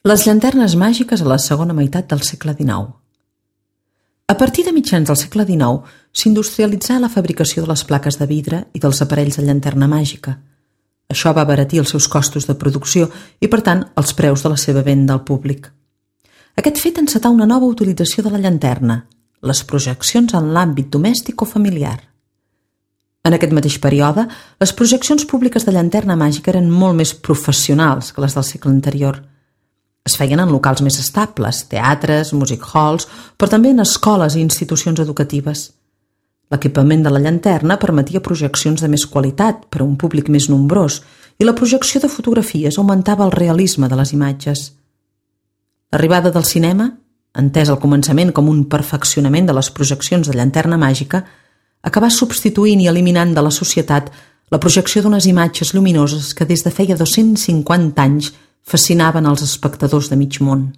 Les llanternes màgiques a la segona meitat del segle XIX. A partir de mitjans del segle XIX s'industrialitzà la fabricació de les plaques de vidre i dels aparells de llanterna màgica. Això va abaratir els seus costos de producció i, per tant, els preus de la seva venda al públic. Aquest fet encetà una nova utilització de la llanterna, les projeccions en l'àmbit domèstic o familiar. En aquest mateix període, les projeccions públiques de llanterna màgica eren molt més professionals que les del segle anterior. Es feien en locals més estables, teatres, music halls, però també en escoles i institucions educatives. L'equipament de la llanterna permetia projeccions de més qualitat per a un públic més nombrós i la projecció de fotografies augmentava el realisme de les imatges. L'arribada del cinema, entès al començament com un perfeccionament de les projeccions de llanterna màgica, acabà substituint i eliminant de la societat la projecció d'unes imatges lluminoses que des de feia 250 anys fascinaven els espectadors de mig món.